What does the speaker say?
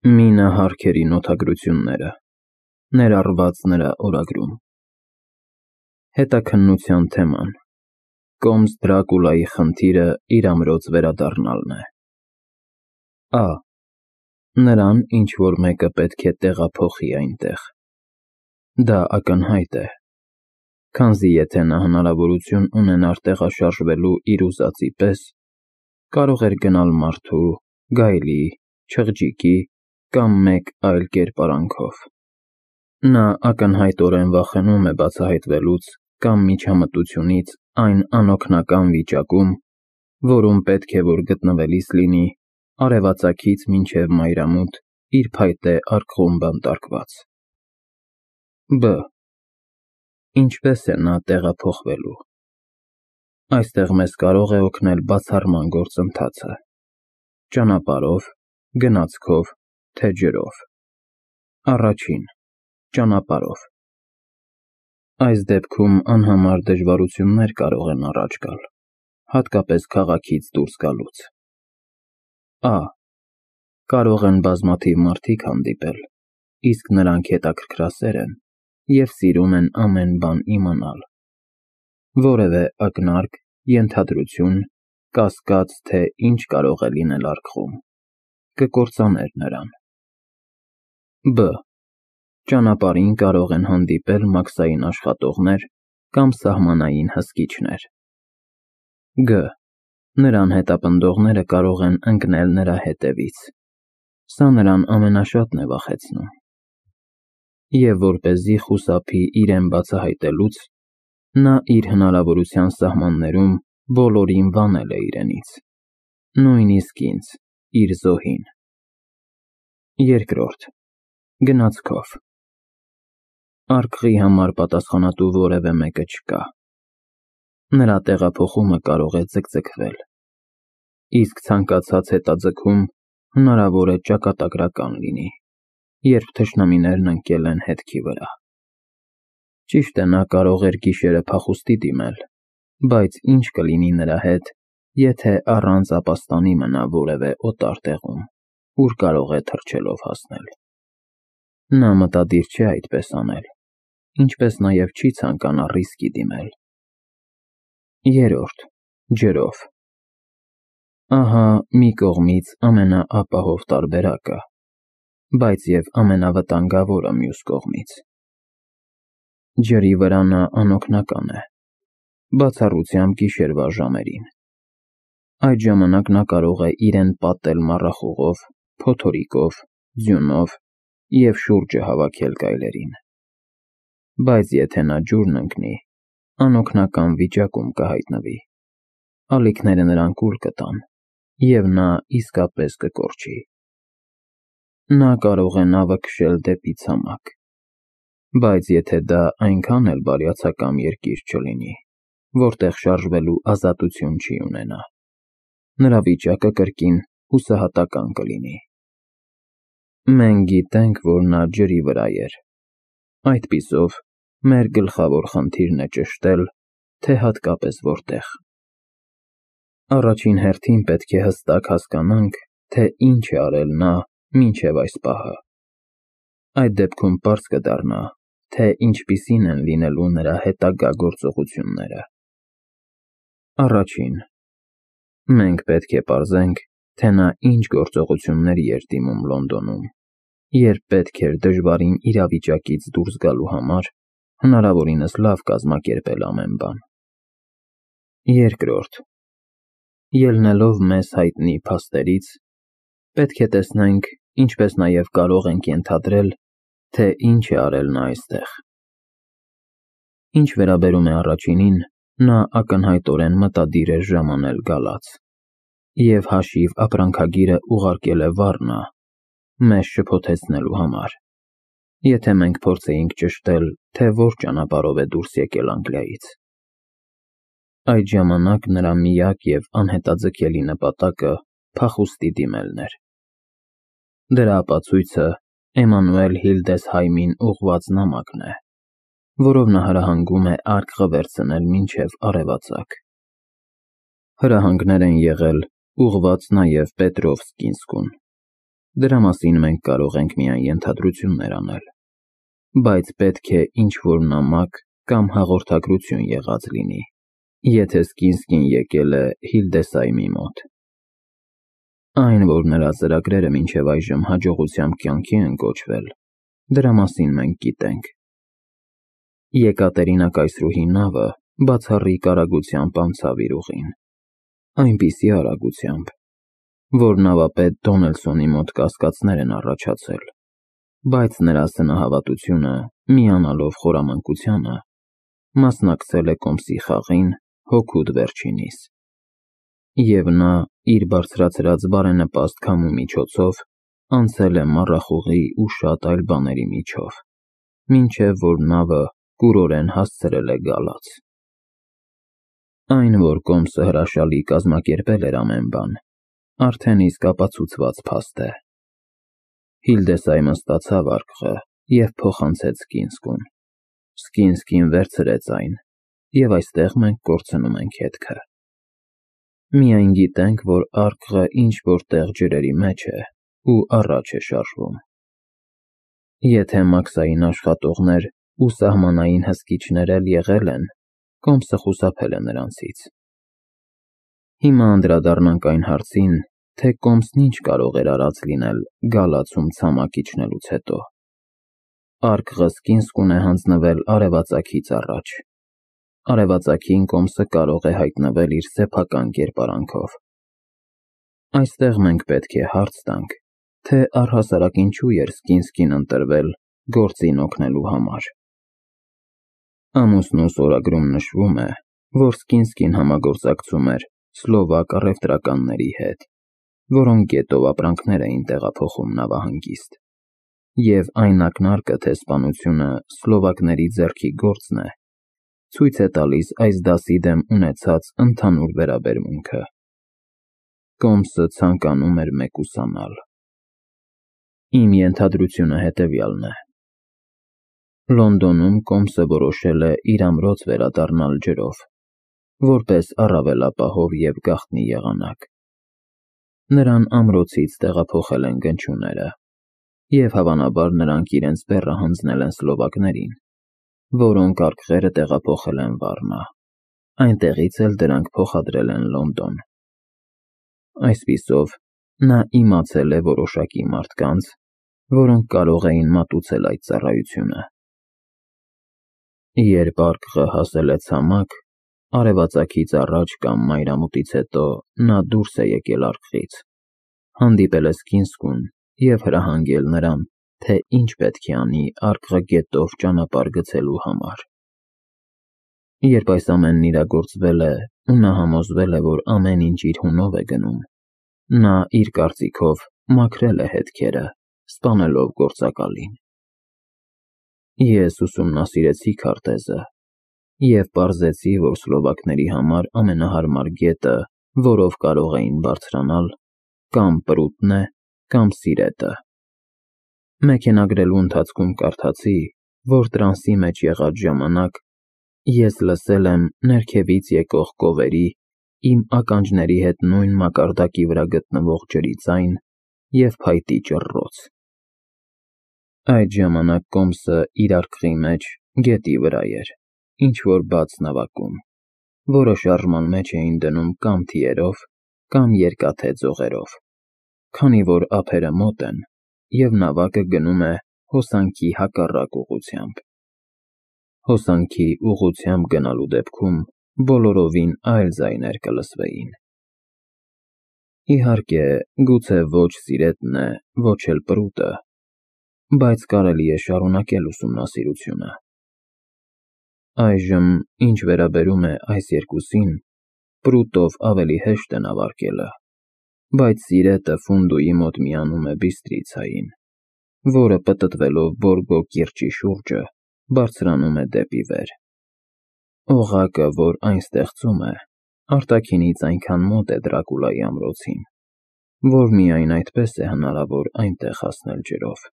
Մինը հարքերի նոթագրությունները, ներառված նրա օրագրում։ Հետաքննության թեման՝ Կոմս Դրակուլայի խնդիրը իր ամրոց վերադառնալն է։ Ա. Նրան ինչ-որ մեկը պետք է տեղափոխի այնտեղ։ Դա ակնհայտ է, քանզի եթե նա հնարավորություն ունենար տեղաշարժվելու իր ուզածի պես, կարող էր գնալ մարդու, գայլի, չղջիկի կամ մեկ այլ կերպարանքով։ Նա ակնհայտորեն վախենում է բացահայտվելուց կամ միջամտությունից այն անօգնական վիճակում, որում պետք է որ գտնվելիս լինի արևածագից մինչև մայրամուտ իր փայտե արկղում բանտարկված։ Բ. Ինչպես է նա տեղափոխվելու։ Այստեղ մեզ կարող է օգնել բացառման գործընթացը՝ ճանապարհով, գնացքով, թե ջրով։ Առաջին. Ճանապարհով։ Այս դեպքում անհամար դժվարություններ կարող են առաջ գալ, հատկապես քաղաքից դուրս գալուց։ Ա. Կարող են բազմաթիվ մարդիկ հանդիպել, իսկ նրանք հետաքրքրասեր են և սիրում են ամեն բան իմանալ։ Որևէ ակնարկ, ենթադրություն, կասկած, թե ինչ կարող է լինել արկղում, կկործաներ նրան։ Բ. Ճանապարհին կարող են հանդիպել մաքսային աշխատողներ կամ սահմանային հսկիչներ։ Գ. Նրան հետապնդողները կարող են ընկնել նրա հետևից։ Սա նրան ամենաշատն է վախեցնում։ Եվ որպեսզի խուսափի իրեն բացահայտելուց, նա իր հնարավորության սահմաններում բոլորին վանել է իրենից, նույնիսկ ինձ՝ իր զոհին։ Երկրորդ. Գնացքով։ Արկղի համար պատասխանատու որևէ մեկը չկա։ Նրա տեղափոխումը կարող է ձգձգվել, իսկ ցանկացած հետաձգում հնարավոր է ճակատագրական լինի, երբ թշնամիներն ընկել են հետքի վրա։ Ճիշտ է, նա կարող էր գիշերը փախուստի դիմել, բայց ինչ կլինի նրա հետ, եթե առանց ապաստանի մնա որևէ օտար տեղում, ուր կարող է թռչելով հասնել։ Նա մտադիր չէ այդպես անել, ինչպես նաև չի ցանկանա ռիսկի դիմել։ Երրորդ. Ջրով։ Ահա մի կողմից ամենաապահով տարբերակը, բայց և ամենավտանգավորը մյուս կողմից։ Ջրի վրա նա անօգնական է, բացառությամբ գիշերվա ժամերին։ Այդ ժամանակ նա կարող է իրեն պատել մառախուղով, փոթորիկով, ձյունով և շուրջը հավաքել գայլերին։ Բայց եթե նա ջուրն ընկնի, անօգնական վիճակում կհայտնվի, ալիքները նրան կուլ կտան, և նա իսկապես կկորչի։ Նա կարող է նավը քշել դեպի ցամաք, բայց եթե դա այնքան էլ բարյացակամ երկիր չլինի, որտեղ շարժվելու ազատություն չի ունենա, նրա վիճակը կրկին հուսահատական կլինի։ Մենք գիտենք, որ նա ջրի վրա էր, այդպիսով մեր գլխավոր խնդիրն է ճշտել, թե հատկապես որտեղ։ Առաջին հերթին պետք է հստակ հասկանանք, թե ինչ է արել նա մինչև այս պահը։ Այդ դեպքում պարզ կդառնա, թե ինչպիսին են լինելու նրա հետագա գործողությունները։ Առաջին. Մենք պետք է պարզենք, թե նա ինչ գործողությունների էր դիմում Լոնդոնում, երբ պետք էր դժվարին իրավիճակից դուրս գալու համար հնարավորինս լավ կազմակերպել ամեն բան։ Երկրորդ. Ելնելով մեզ հայտնի փաստերից, պետք է տեսնենք, ինչպես նաև կարող ենք ենթադրել, թե ինչ է արել նա այստեղ։ Ինչ վերաբերում է առաջինին, նա ակնհայտորեն մտադիր էր ժամանել գալաց, և հաշիվ ապրանքագիրը ուղարկել է Վառնա, մեզ շփոթեցնելու համար, եթե մենք փորձեինք ճշտել, թե որ ճանապարհով է դուրս եկել Անգլիայից։ Այդ ժամանակ նրա միակ և անհետաձգելի նպատակը փախուստի դիմելն էր։ Դրա ապացույցը Էմանուել Հիլդեսհայմին ուղղված նամակն է, որով նա հրահանգում է արկղը վերցնել մինչև արևածագ։ Հրահանգներ են եղել ուղղված նաև Պետրովսկինսկուն, Դրա մասին մենք կարող ենք միայն ենթադրություններ անել, բայց պետք է ինչ-որ նամակ կամ հաղորդագրություն եղած լինի, եթե Սկինսկին եկել է Հիլդեսայմի մոտ։ Այն, որ նրա ծրագրերը մինչև այժմ հաջողությամբ կյանքի են կոչվել, դրա մասին մենք գիտենք։ Եկատերինա կայսրուհի նավը բացառիկ արագությամբ անցավ իր ուղին, այնպիսի արագությամբ, որ նավապետ Դոնելսոնի մոտ կասկածներ են առաջացել, բայց նրա սնահավատությունը, միանալով խորամանկությանը, մասնակցել է կոմսի խաղին հօգուտ վերջինիս, և նա իր բարձրացրած բարենպաստ քամու միջոցով անցել է մառախուղի ու շատ այլ բաների միջով, մինչև որ նավը կուրորեն հասցրել է գալաց։ Այն, որ կոմսը հրաշալի կազմակերպել էր ամեն բան, արդեն իսկ ապացուցված փաստ է։ Հիլդեսայմը ստացավ արկղը և փոխանցեց Սկինսկուն։ Սկինսկին վերցրեց այն, և այստեղ մենք կորցնում ենք հետքը։ Միայն գիտենք, որ արկղը ինչ-որ տեղ ջրերի մեջ է ու առաջ է շարժվում։ Եթե Մաքսային աշխատողներ ու սահմանային հսկիչներ էլ եղել են, կոմսը խուսափել է նրանցից։ Հիմա անդրադառնանք այն հարցին, թե կոմսն ինչ կարող էր արած լինել գալացում ցամաք իջնելուց հետո։ Արկղը Սկինսկուն է հանձնվել արևածագից առաջ։ Արևածագին կոմսը կարող է հայտնվել իր սեփական կերպարանքով։ Այստեղ մենք պետք է հարց տանք, թե առհասարակ ինչու էր Սկինսկին ընտրվել գործին օգնելու համար։ Ամուսնու սորագրում նշվում է, որ Սկինսկին համագործակցում էր սլովակ առևտրականների հետ, որոնք գետով ապրանքներ էին տեղափոխում նավահանգիստ, և այն ակնարկը, թե սպանությունը սլովակների ձեռքի գործն է, ցույց է տալիս այս դասի դեմ ունեցած ընդհանուր վերաբերմունքը։ Կոմսը ցանկանում էր մեկուսանալ։ Իմ ենթադրությունը հետևյալն է. Լոնդոնում կոմսը որոշել է իր ամրոց վերադառնալ ջրով, որպես առավել ապահով և գաղտնի եղանակ։ Նրան ամրոցից տեղափոխել են գնչուները, և հավանաբար նրանք իրենց բեռը հանձնել են սլովակներին, որոնք արկղերը տեղափոխել են Վառնա, այնտեղից էլ դրանք փոխադրել են Լոնդոն։ Այսպիսով, նա իմացել է որոշակի մարդկանց, որոնք կարող էին մատուցել այդ ծառայությունը։ Երբ արկղը հասել է ցամաք, արևածագից առաջ կամ մայրամուտից հետո նա դուրս է եկել արկղից, հանդիպել է Սկինսկուն և հրահանգել նրան, թե ինչ պետք է անի արկղը գետով ճանապարհ գցելու համար։ Երբ այս ամենն իրագործվել է ու նա համոզվել է, որ ամեն ինչ իր հունով է գնում, նա իր կարծիքով մաքրել է հետքերը, սպանելով գործակալին։ Ես ուսումնասիրեցի քարտեզը և պարզեցի, որ սլովակների համար ամենահարմար գետը, որով կարող էին բարձրանալ, կամ Պրուտն է, կամ Սիրետը։ Մեքենագրելու ընթացքում կարդացի, որ տրանսի մեջ եղած ժամանակ ես լսել եմ ներքևից եկող կովերի, իմ ականջների հետ նույն մակարդակի վրա գտնվող ջրի ձայն և փայտի ճռռոց։ Այդ ժամանակ կոմսը իր արկղի մեջ գետի վրա էր, ինչ-որ բաց նավակում, որը շարժման մեջ էին դնում կամ թիերով, կամ երկաթե ձողերով, քանի որ ափերը մոտ են, և նավակը գնում է հոսանքի հակառակ ուղղությամբ։ Հոսանքի ուղղությամբ գնալու դեպքում բոլորովին այլ ձայներ կլսվեին։ Իհարկե, գուցե ոչ Սիրետն է, ոչ էլ Պրուտը, բայց կարելի է շարունակել ուսումնասիրությունը։ Այժմ, ինչ վերաբերում է այս երկուսին, Պրուտով ավելի հեշտ է նավարկելը, բայց Սիրետը Ֆունդուի մոտ միանում է Բիստրիցային, որը պտտվելով Բորգո կիրճի շուրջը, բարձրանում է դեպի վեր։ Օղակը, որ այն ստեղծում է, արտաքինից այնքան մոտ է Դրակուլայի ամրոցին, որ միայն այդպես է հնարավոր այնտեղ հասնել ջրով։